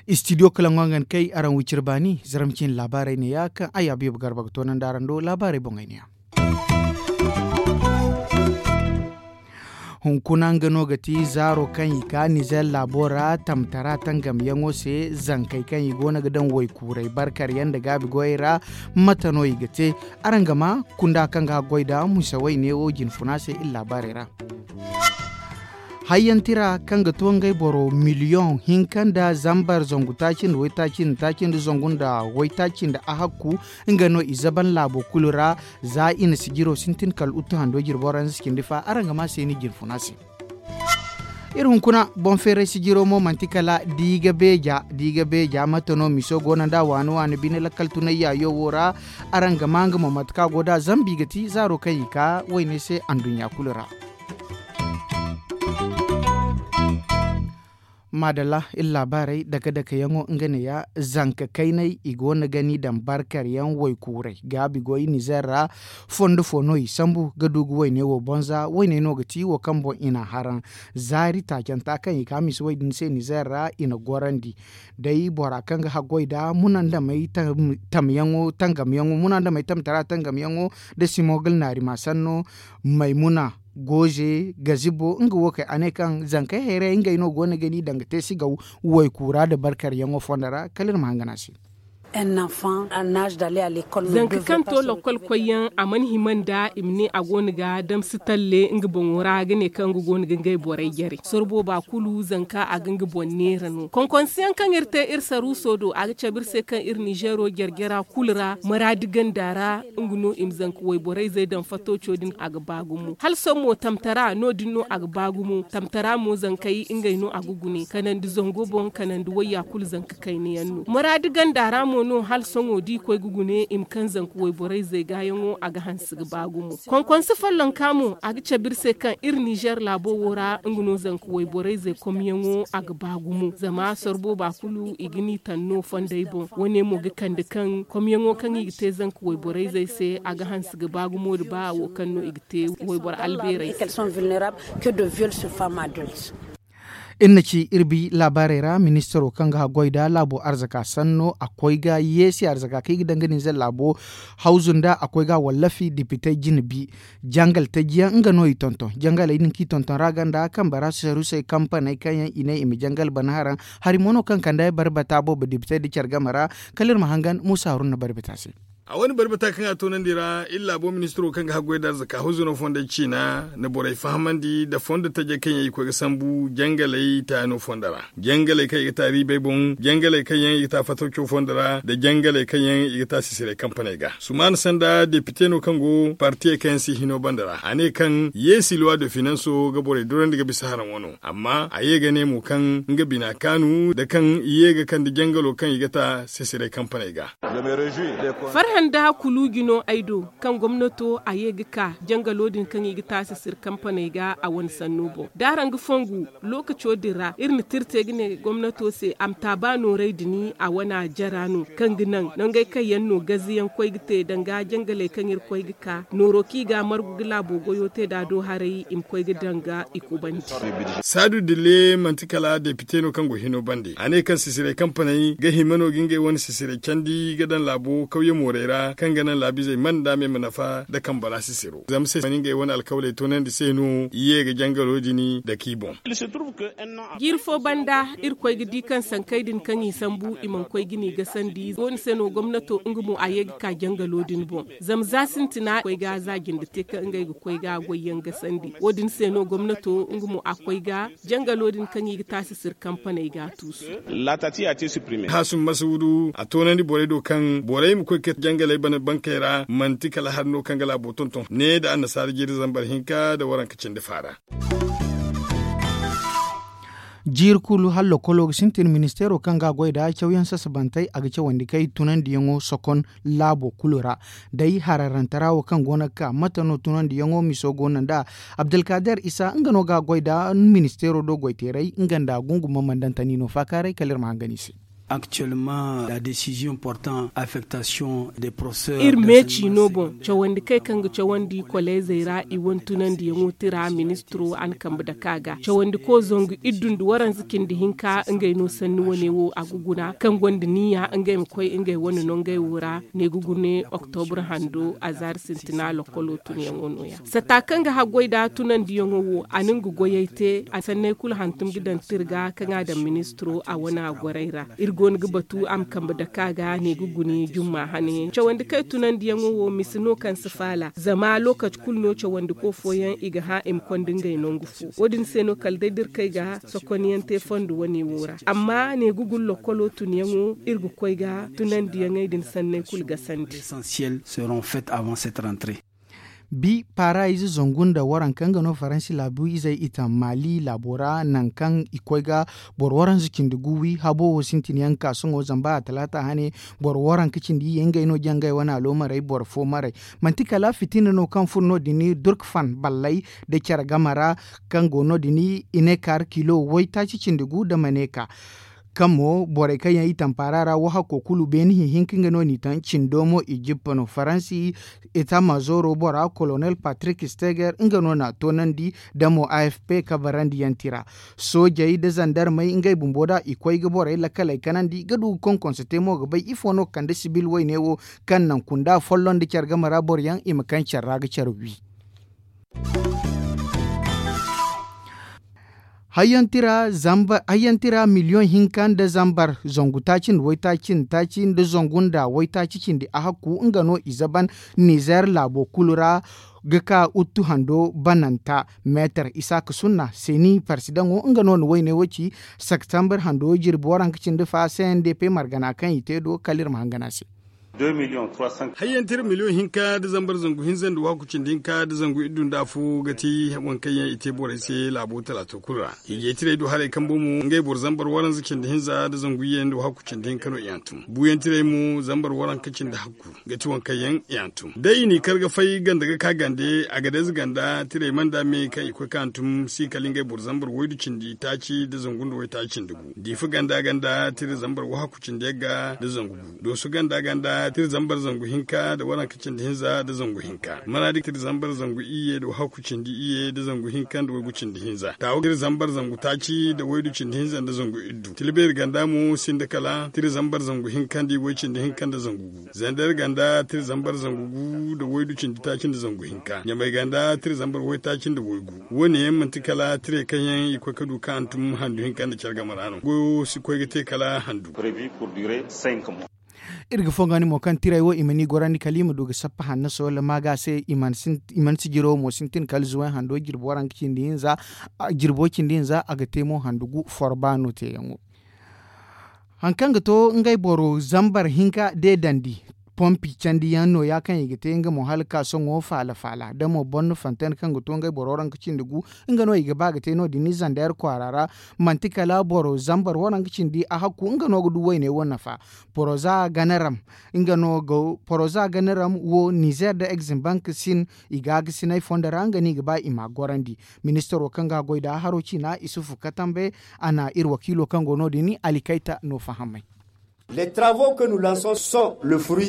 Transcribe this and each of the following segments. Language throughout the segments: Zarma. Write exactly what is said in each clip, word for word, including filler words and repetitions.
Istidiyo kalaŋo nga ni kay araŋ wiciri baani zaramcin laabaarey ne ya kaŋ a yaabu yaabu garba ga toonandi araŋ do laabaarey boŋey ne ya. Hunkuna nga no ga ti zaaro kaŋ i ka nizer laabo ra tamtara tangamyaŋo se zankey kaŋ i go no ga daŋ waykuurey barkaryaŋ nda gaabi goyey ra. Mate no i ga te? Araŋ ga ma kunda kaŋ ga haggoy nda musawey neewo jinfuna se iri laabaarey ra. Hayyantira kaŋ ga to ngey boro miliyoŋ hinka nda zambar zangu taaci nda waytaaci nda taaci nda zangu nda waytaaci nda ahakku nga no i zaban laabo kulu ra. Za i na sijiro sintin kala uttu hando jirbo ra nda si cindi fa araŋ ga ma se ni jinfuna se. Iri hunkuna boŋ feeray sijiro mo manti kala diiga beeja diiga beeja mate no miso go no nda waani waani bine lakkal tunay yaayo wo ra. Araŋ ga ma nga mo mate kaŋ a go nd'a zambi ga ti zaaro kaŋ i ka wayne se anduɲɲa kulu ra. Maadalla iri laabaarey dake dake yaŋo nga neeya. Zanka kayney i go no ga ni daŋ barkar yaŋ waykuurey gaabi goy nizer ra. Fondo fo no i sambu ga du ga wayne wo boŋ za wayney no ga ti wo kaŋ boŋ i na haraŋ zaari taacanta kaŋ i ka misa way din se nizer ra i na gorandi. Day bora kaŋ ga haggoy nda munandamey tamyaŋo tangamyaŋo munandamey tamtara tangamyaŋo nda simogul naari ma sanno maymuna gooze gazibo nga wo kay a ne kaŋ zankey hayrayey ngey no go no ga ni daŋ ga te sigaw waykuura nda barkaryaŋo fondo ra kala iri ma hangan a se. Zanka kaŋ to lokkol koyyaŋ a mana hima nda i ma ne a go no ga damsi talle nga boŋo ra ga ne kaŋ nga go no ga ngey borey jare sorbo ba kulu zanka a ga nga boŋ neera no konkonsiyaŋ kaŋ iri te iri saruuso do a ga cabe iri se kaŋ iri nizeero jarjara kulu ra maraadi ganda ra. Nga no i ma zanka wayborayzey daŋ fatooco din a ga ba gumo hala sohõ mo tamtara no- din no a ga ba gumo tamtara mo zankey ngey no a ga gune kanandi zango boŋ kanandi wayya kulu zanka kayna yaŋ no maraadi ganda ra mo no hala sohõ da i koy ga gune i ma kaŋ zanka wayborayzey gaayaŋo a ga hanse ga ba gumo konkonse follonka mo a ga cabe iri se kaŋ iri nizer laabo wo ra nga no zanka wayborayzey komyaŋo a ga ba gumo zama sorbo ba kulu i ga ni taŋ no fondey boŋ wane mo ga kande kaŋ komyaŋo kaŋ i ga te zanka wayborayzey se a ga hanse ga ba gumo nda ba wo kaŋ no i ga te wayboro albeerey se. Iri na ci iri bi laabaarey ra ministaro kaŋ ga haggoy nda laabo arzaka sanno a koy ga yeesi arzaka kaŋ i ga daŋ ga ninze laabo hawzu nda a koy ga a wallafi depite jine bi jangal taji yaŋ nga no i tonton jangaley din kaŋ i tonton ra ganda kambe ra sarusey kampaney kaŋ yaŋ i ne i ma jangal bana haraŋ. Hari mo no kaŋ kande barbata boobo depite nda care game ra kala iri ma hangan muusa haruna barbata se. A wane barbata kaŋ a toonandi ra iri laabo ministiro kaŋ ga haggoy nda arzaka huzuro fondey ciina na borey fahamandi nda fondo tajey kaŋ yaŋ i koy ga sambu jangaley taano fondo ra jangaley kaŋ i ga ta riibey boŋ jangaley kaŋ yaŋ i ga ta fatawco fondo ra nda jangaley kaŋ yaŋ i ga ta sisiray kampaney ga sumaana sanda depite no kaŋ go partiyey kaŋ yaŋ si hino banda ra a ne kaŋ yeesi luwa de finanso ga borey durandi ga bisa haraŋ wano amma a ye ga ne mo kaŋ nga bina kaanu nda kaŋ i ye ga kande jangalo kaŋ i ga ta sisiray kampaney ga. Farhã nda kuluuji no ay do kaŋ gomnato a ye ga ka jangalo din kaŋ i ga taasi siri kampaney ga a wane sanno boŋ da araŋ ga fongu lookaco din ra iri na tira te ga ne gomnato se a ma taaba nooray din a wana jara no kaŋ ga naŋ nangey kaŋ yaŋ no gaziyaŋ koy ga te danga jangaley kaŋ iri koy ga ka nooro kaŋ i ga a margu ga laabo goyo te da a do haray i ma koy ga danga i kubandi. Saadu dille manti kala depite no kaŋ go hino bande a ne kaŋ sisiray kampaney ga hima no ga ngey wane sisiray candi ga daŋ laabo kawye moorey ra kaŋ ga naŋ laabizey man nda me ma nafa nda kambe ra sisiro zama se mana ngey wane alkawley toonandi se no i ye ga jangalo din dake i boŋ. Jiiri fo banda iri koy ga di kaŋ sankey din kaŋ i sambu i mana koy ga ni gasandi wo- din se no gomnato nga mo a ye ga ka jangalo din boŋ zama za sintina koy ga za jinde te kaŋ ngey ga koy ga goyyaŋ gasandi wo- din se no gomnato nga mo a koy ga jangalo din kaŋ i ga taasi siri kampaney ga a tuusu. Haasum masuudu a toonandi borey do kaŋ borey ma koy ga te jangaley bankey ra manti kala hari no kaŋ ga laabo tonton ne nda annasaara jiiri zambar hinka nda waranka cindi faara. Jiiri kulu hala lokolo ga sintin ministeero kaŋ ga a goy nda cawyaŋ sasabantey a ga cawandi kay tunandiyaŋo sokon laabo kulu ra. Day hararantara wo kaŋ go no ga ka mate no tunandiyaŋo miso go no nda abdulkader isa nga no ga a goy nda ministeero do goyteeray nga nda gunguma mandantani no faakaaray kala iri ma hangan i se. Actuellement la décision portant affectation des professeurs iri meeci no boŋ cawandi kaŋ ga cawandi koleezey ra i wane tunandiyaŋo tira ministiro a na kambe dake a ga cawandiko zangu iddu nda waranza cindi hinka ngey no sanni wane wo a ga guna kaŋ gonda niya ngey ma koy ngey wane nongey wo ra ne ga gune oktobra hando azaari sintina lokkolo tunyaŋo no ya sata kaŋ ga haggoy nda tunandiyaŋo wo a na nga goyey te a sanney kulu hantum ga daŋ tirga kaŋ a daŋ ministiro a wane a gorey ra iri go no ga batu a ma kambe dake a ga ne ga gune jumma hane yaŋ cawandi kaŋ ay tunandiyaŋo wo misa no kaŋ si faala zama lokaci kulu no cawandiko fooyaŋ i ga hã i ma konda ngey nangu fo wo- din se no kala day da iri kay ga sokonyaŋ te fondo wane wo ra amma ne ga guna lokkolo tunyaŋo iri ga koy ga tunandiyaŋey din sanney kulu gasandi. Bi paara ize zangu nda waranka nga no faransi laabu izey i taŋ maali laabo ra nangu kaŋ i koy ga boro waranza cindi gu wi habo wo sintin yaŋ ga ka sohõ zamba a talaata hane boro waranka cindi iyye ngey no jangey wane aloomarey boro fo maray. Manti kala fitina no kaŋ furo no- din durkfan ballay nda care game ra kaŋ go no- din i ne kaara kilo waytaaci cindi gu nda maneeka. Kaŋ mo borey kaŋ yaŋ i tampaara ra wo hakko kulu beene hihinka nga no n'i taŋ cindo mo ijippa no faransi eta mazoro bora kolonel patrik steger nga no n'a toonandi nda mo afp kabarandi yaŋ tira. Soojey nda zandarmey ngey bumbo da i koy ga borey lakkaley kanandi ga du ga konkonso te mo ga bay ifo no ga kande sibil wayne wo kaŋ naŋ kunda folloŋ nda care game ra boro yaŋ i ma kaŋ care ra ga care wi. Hayyaŋ tira miliyoŋ hinka nda zambar zangu taaci nda waytaaci nda taaci nda zangu nda waytaaci cindi a hakku nga no i zaban nizer laabo kulu ra ga ka uttu hando bananta meetar isaaka sunna seni parsidaŋo nga no na wayne wo ci septembre hando jirbi waranka cindi fa cndp margana kaŋ i te do kala iri ma hangan a se. Hayyaŋ tira miliyoŋ hinka nda zambar zangu hinza nda waaku cindi hinka nda zangu iddu nda afo ga ti waŋ kaŋ yaŋ i te borey se laabo talaato kulu ra. Hiijay tirey du haray kambe mo ngey boro zambar waranza cindi hinza nda zangu iyye nda waaku cindi hinka no i hantum buuyaŋ tirey mo zambar waranka cindi hakku ga ti waŋ kaŋ yaŋ i hantum day i n'i kar ga fay ganda ga ka gande a ga day za ganda tirey manda me kaŋ i koy ka hantum si kala ngey boro zambar waydu cindi taaci nda zangu nda waytaaci cindi gu diifa ganda ganda tira zambar waaku cindi yagga nda zangu gu dooso ganda ganda tira zambar zangu hinka nda waranka cindi hinza nda zangu hinka maraadi tira zambar zangu iyye nda waaku cindi iyye nda zangu hinka nda waygu cindi hinza taawa tira zambar zangu taaci nda waydu cindi hinza nda zangu iddu tilbeeri ganda mo sinda kala tira zambar zangu hinka nda iway cindi hinka nda zangu gu zandar ganda tira zambar zangu gu nda waydu cindi taaci nda zangu hinka ɲamay ganda tira zambar waytaaci nda waygu wo- ne yaŋ manti kala tirey kaŋ yaŋ i koy ga du ka hantum handu hinka nda care game ra no goyo si koy ga te kala handu. Iri ga fonga ni mo kaŋ tirey wo i ma ni gorandi kala i ma du ga sappa hanno soola maaga se i mana sijiro mo sintin kala zuway hando jirbo waranka cindi hinza jirbo cindi hinza a ga te mo handu gu forba no teeyaŋo. Hari kaŋ ga to ngey boro zambar hinka deedandi pompi candiyaŋ nooya kaŋ i ga te nga mo hala ka sohõ faala faala da mo borno fontaine kaŋ ga to ngey boro waranka cindi gu nga no i ga ba ga te no- din ni zandeer kwaara ra. Manti kala boro zambar waranka cindi a hakku nga no ga du wayne wo nafa poroza ganaram nga no ga poroza ganaram wo nizer nda exim bank sin i ga ga sinay fondo ra nga no i ga ba i ma a gorandi. Ministaro kaŋ ga a goy nd'a haro ciina isufu katambe a na iri wakiilo kaŋ go no- din alikayta no fahamay.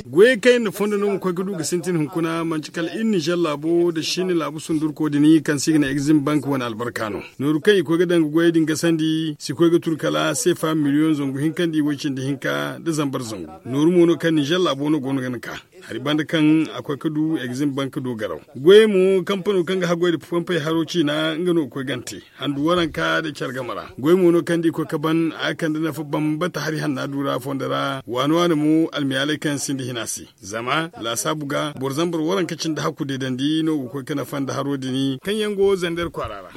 Goyey kaŋ iri na fondo no ma koy ga du ga sintin hunkuna manci kala iri nizer laabo nda siini laabu sundurko din kaŋ se i ga ne exim bank wane albarka no. Nooru kaŋ i koy ga daŋ ga goyey din gasandi si koy ga turu kala seefa miliyoŋ zangu hinka nda iway cindi hinka nda zambar zangu. Nooru mo no kaŋ nizer laabo no go no ga ni ka hari banda kaŋ a koy ga du exim bank do garaw. Goyey mo kampano kaŋ ga haggoy nda pompey haro ciina nga no ga koy gante handu waranka nda care game ra goy mo no kaŋ da i koy ga ban a ga kande nafa bambata hari hanna du ra fondo ra waani waani mo almiyaaley kaŋ yaŋ sinda hina se. Zama laasaabu ga boro zambar waranka cindi hakku deedandi no ga koy ga nafa nda haro din kaŋ yaŋ go zander kwaara ra.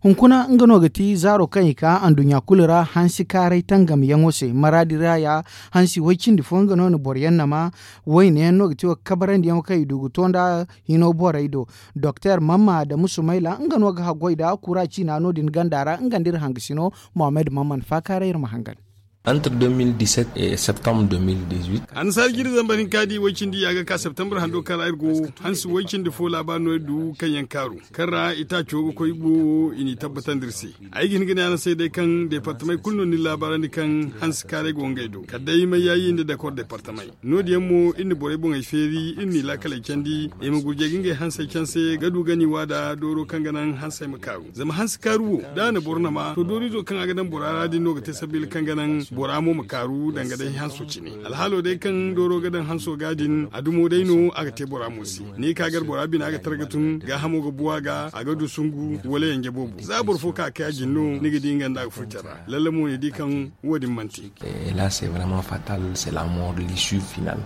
Hunkuna nga no ga ti zaaro kaŋ i ka anduɲɲa kulu ra hansi kaaray tangamyaŋo se maraadi ra ya. Hansi way cindi fo nga no na boro yaŋ nama wayne yaŋ no ga ti wo ga kabarandiyaŋo kaŋ i du ga to nd'a hino borey do. Doktor mamma adamu sumayla nga no ga haggoy nd'a kura ciina no- din ganda ra nga nda iri hangasino. Mohammed mamman faakaaray iri ma hangan. Entre deux mille dix-sept et septembre deux mille dix-huit. Annasaara jiiri zambar hinka di way cindi ya ga ka septembre hando kaŋ ra iri go, hansi way cindi fo laabaari no iri du kaŋ yaŋ kaaru kaŋ ra itaaco ga koy boobo i n'i tabbatandi iri se. Ay ga hin ga ne araŋ se day kaŋ deepartamey kulu no ni laabaarandi kaŋ hansi kaaray go ngey do kala day mayyaayi nda dakor deepartamey. No- din yaŋ mo iri na borey boŋey feeri iri n'i laakaley candi i ma gurjay ga ngey hansey canse ga du ga ni waada dooro kaŋ ga naŋ hansey ma kaaru. Zama hansi kaaru wo da a na boro nama to dooriizo kaŋ a ga daŋ bora ra din no ga te sabila kaŋ ga naŋ bora mo ma kaaru danga day hanso cine. Alhaalo day kaŋ dooro ga daŋ hanso ga din a dumo day no a ga te bora mo se. Ni ka gar bora bina ga targa tun gaahamo ga bu a ga a ga du sungu wala yanje boobo za boro fo ka kay a jin no ni ga di nga nda a ga furtara lalle mo ni di kaŋ wo- din manti. Là c'est vraiment fatal, c'est la mort, l'issue finale.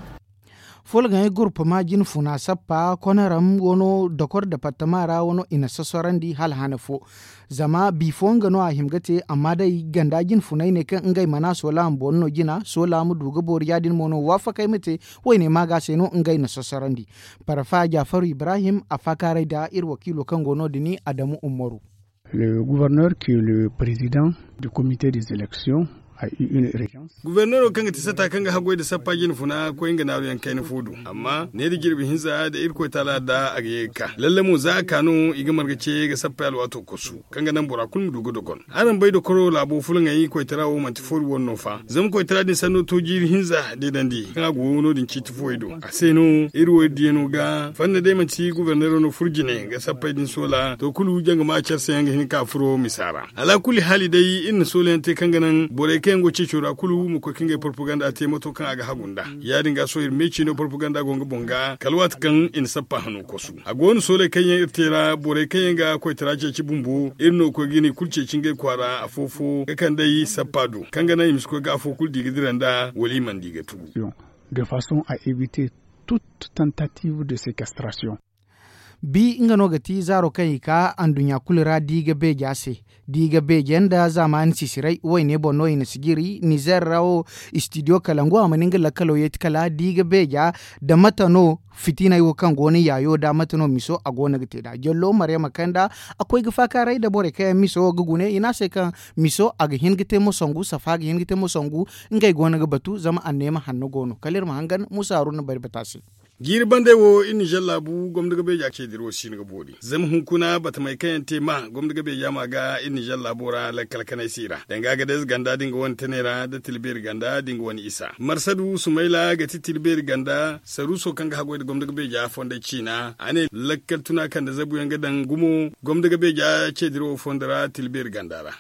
Folgaŋey gurpama jinfuna sappa konaram wano dokor departama ra wano i na sosorandi hala hane fo. Zama bifo nga no a hima ga te amma day ganda jinfuney ne kaŋ ngey mana sola ma boori no jina sola ma du ga boori ya- din mo no waafakey ma te. Wayne maaga se no ngey na sosorandi. Parfa jafaru ibrahim a faakaaray nda iri wakiilo kaŋ go no- din adamu umaru. Le gouverneur qui est le président du comité des élections a eu une urgence. Guberneero kaŋ ga ti satta kaŋ ga haggoy nda sappa jinfuna koy nga naaruyaŋ kayna fo do. Amma ne da jirbi hinza da irkoy taala da a ga ye ga ka lalle mo za a ka no i ga marga ce ga sappay alwaato kosu kaŋ ga naŋ bora kulu ma du ga dogon. Araŋ bay dokoro laabo fulaŋey koytara wo manti foori wane no fa zama koytara din sanno to jiiri hinza deedandi kaŋ a go no- din ciiti fuwey do. A se no iri wo iri diyano ga fanna day manti guberneero no furo jine ga sappey din soola to kulu jangama care se yaŋ ga hin ka furo misa ra. Alaakulli haali day iri na soola yaŋ te kaŋ ga naŋ borey kaŋ yaŋ go ceeco ra kulu ma koy ka ngey porpaganda te mato kaŋ a ga hagu nd'a. Ya- din ga sohõ iri meeci no porpaganda go nga boŋ ga kala waati kaŋ i na sappa hano kosu. A go no sooley kaŋ yaŋ iri te ra borey kaŋ yaŋ ga koytara ceeci bumbo iri no ga koy ga ni kulu ceeci ngey kwaara afo fo ga kand'ey sappa do kaŋ ga naŋ i ma si koy ga afo kulu di ga dira nd'a wala i mana di ga tugu. De façon à éviter toute tentative de séquestration. Bi nga no ga ti zaaro kaŋ i ka anduɲɲa kulu ra di ga beeja se. Di ga beeja nda zaamaani sisiray wayne boŋ no i na si jiri nizer ra wo. Istidiyo kalangu a mana nga lakkalo yeeti kala di ga beeja da mate no fitinay wo kaŋ go no yaayo da mate no miso a go no ga te nd'a jallo maryama kanda. A koy ga faakaaray nda borey kaŋ yaŋ miso ga gune i ne a se kaŋ miso a ga hin ga te mo sangu safa ga hin ga te mo sangu. Ngey go no ga batu zama anneema hanno go no kala iri ma hangan muusa haruna bari bata se. Jiiri bandey wo iri nizer laabu gomni ga beeja ceediro siino ga boori zama hunkuna batamey kaŋ yaŋ te ma gomni ga beeja ma ga iri nizer laabo ra lakkal kanay se i ra danga ga day ize ganda da nga wane tanay ra nda tila beeri ganda da nga wane isa marsadu sumayla ga ti tila beeri ganda saruuso kaŋ ga haggoy nda gomni ga beeja fondey ciina a ne lakkal tuna kaŋ nda zabu yaŋ ga daŋ gumo gomni ga beeja ceediro wo fondo ra tila beeri ganda ra.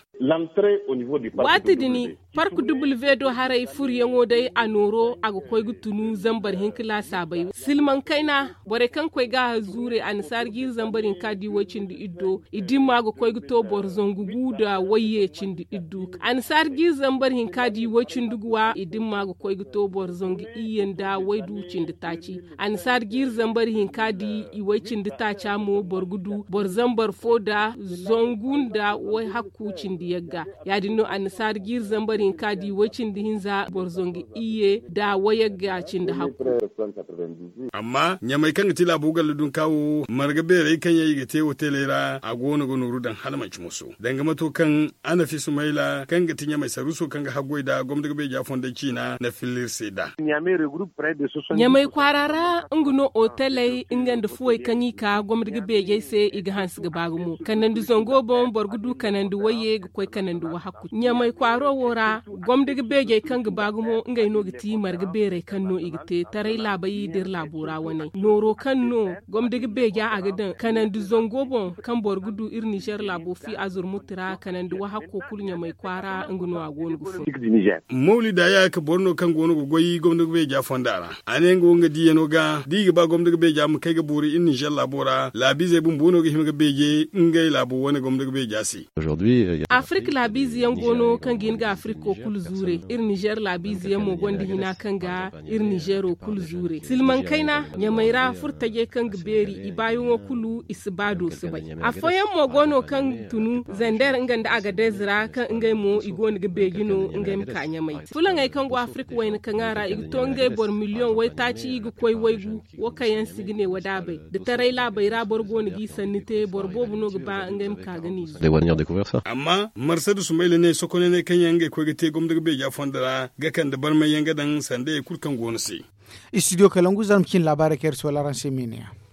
Waati din park duble vedo haray furyaŋo day a nooro a ga koy ga tunu zambar hinka laasaabey silmaŋ kayna borey kaŋ koy ga a zuure annasaara jiiri zambar hinka di way-cindi iddo i dimma ga koy ga to boro zangu gu nda wayye cindi iddu. Annasaara jiiri zambar hinka di way-cindi guwa i dimma ga koy ga to boro zangu iyye nda waydu cindi taaci. Annasaara jiiri zambar hinka di i way-cindi taaca mo boro ga du boro zambar fo nda zangu nda way-hakku cindi yagga. Ya- din no annasaara jiiri zambar hinka di way-cindi hinza boro zangu iyye nda wayagga cindi hakku. Amma ɲamay kaŋ ga ti laabo galla dunka wo marga beerey kaŋ yaŋ i ga te hoteley ra a go no ga nooru daŋ hala manci moso danga mato kaŋ a na fisu mayla kaŋ ga ti ɲamay saruuso kaŋ ga haggoy nda gomni ga beeja fondey ciina na filla iri se nd'a. Ɲamay kwaara ra nga no hoteley nga nda fuwey kaŋ i ka gomni ga beejey se i ga hanse ga ba gumo kanandi zango boŋ boro ga du kanandi wayye ga koy kanandi wahakku ɲamay kwaaro wo ra. Gomdi ga beejey kaŋ ga ba gumo ngey no ga ti marga beerey kaŋ no i ga te taray laabey da iri laabo ra wane nooro kaŋ no gomdi ga beeja a ga daŋ kanandi zango boŋ kaŋ boro ga du iri nizer laabo fi azurmuti ra kanandi wahakko kulu ɲamay kwaara nga no a go no ga fun. Mawlida ya ka boro no kaŋ go no ga goy gomdi ga beeja fonda ra a ne nga wo nga diyano ga da i ga ba gomdi ga beeja ma kay ga boori iri nizer laabo ra laabiizey bumbo no ga hima ga beeje ngey laabo wane gomdi ga beeja se. Afirka laabiize yaŋ go no kaŋ ga hin ga afiriko kulu zuure iri nizer laabiize yaŋ mo gonda hina kaŋ ga iri nizero kulu zuure silmaŋ kayna ɲamay ra furtajey kaŋ ga beeri i baayaŋo kulu i si ba do si bay. Afooyaŋ mo go no kaŋ tunu zander nga nda agadez ra kaŋ ngey mo i go no ga beeji no ngey ma ka ɲamay fulaŋey kaŋ go afirika wayna kaŋ a ra i ga to ngey boro miliyoŋ waytaaci i ga koy waygu. Wo kaŋ yaŋ si ga ne wadaabey da taray laabey ra boro go no g'i sanni te boro boobo no ga ba ngey ma ka ga n'i zu. Amma Marsa da sumayla ne sokonaney kaŋ yaŋ ngey koy ga te gomdo ga beeja fondo ra ga kande barmay yaŋ ga daŋ sanda ye kulu kaŋ go no se. Istidiyo kalangu zarma cine laabaarey kaŋ iri si wala araŋ se meene yaŋ.